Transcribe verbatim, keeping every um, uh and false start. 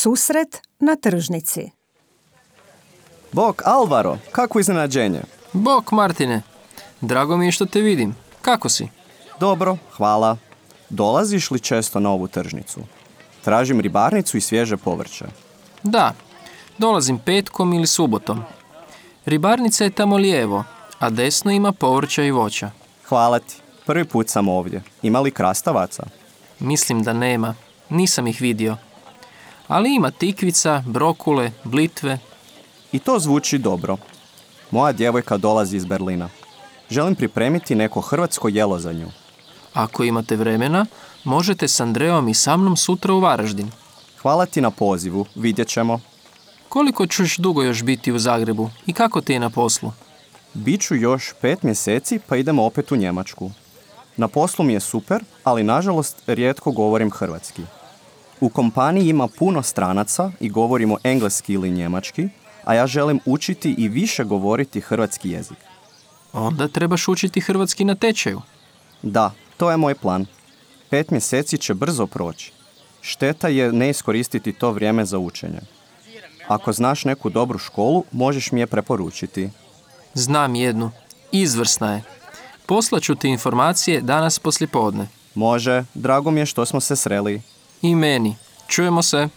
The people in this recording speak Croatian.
Susret na tržnici. Bok, Alvaro, kako iznenađenje. Bok, Martine. Drago mi je što te vidim. Kako si? Dobro, hvala. Dolaziš li često na ovu tržnicu? Tražim ribarnicu i svježe povrće. Da, dolazim petkom ili subotom. Ribarnica je tamo lijevo, a desno ima povrća i voća. Hvala ti. Prvi put sam ovdje. Ima li krastavaca? Mislim da nema. Nisam ih vidio. Ali ima tikvica, brokule, blitve. I to zvuči dobro. Moja djevojka dolazi iz Berlina. Želim pripremiti neko hrvatsko jelo za nju. Ako imate vremena, možete s Andreom i sa mnom sutra u Varaždin. Hvala ti na pozivu, vidjet ćemo. Koliko ćeš dugo još biti u Zagrebu i kako ti je na poslu? Biću još pet mjeseci pa idemo opet u Njemačku. Na poslu mi je super, ali nažalost rijetko govorim hrvatski. U kompaniji ima puno stranaca i govorimo engleski ili njemački, a ja želim učiti i više govoriti hrvatski jezik. Onda trebaš učiti hrvatski na tečaju. Da, to je moj plan. Pet mjeseci će brzo proći. Šteta je ne iskoristiti to vrijeme za učenje. Ako znaš neku dobru školu, možeš mi je preporučiti. Znam jednu. Izvrsna je. Poslaću ti informacije danas poslijepodne. Može, drago mi je što smo se sreli. I meni. Čujemo se.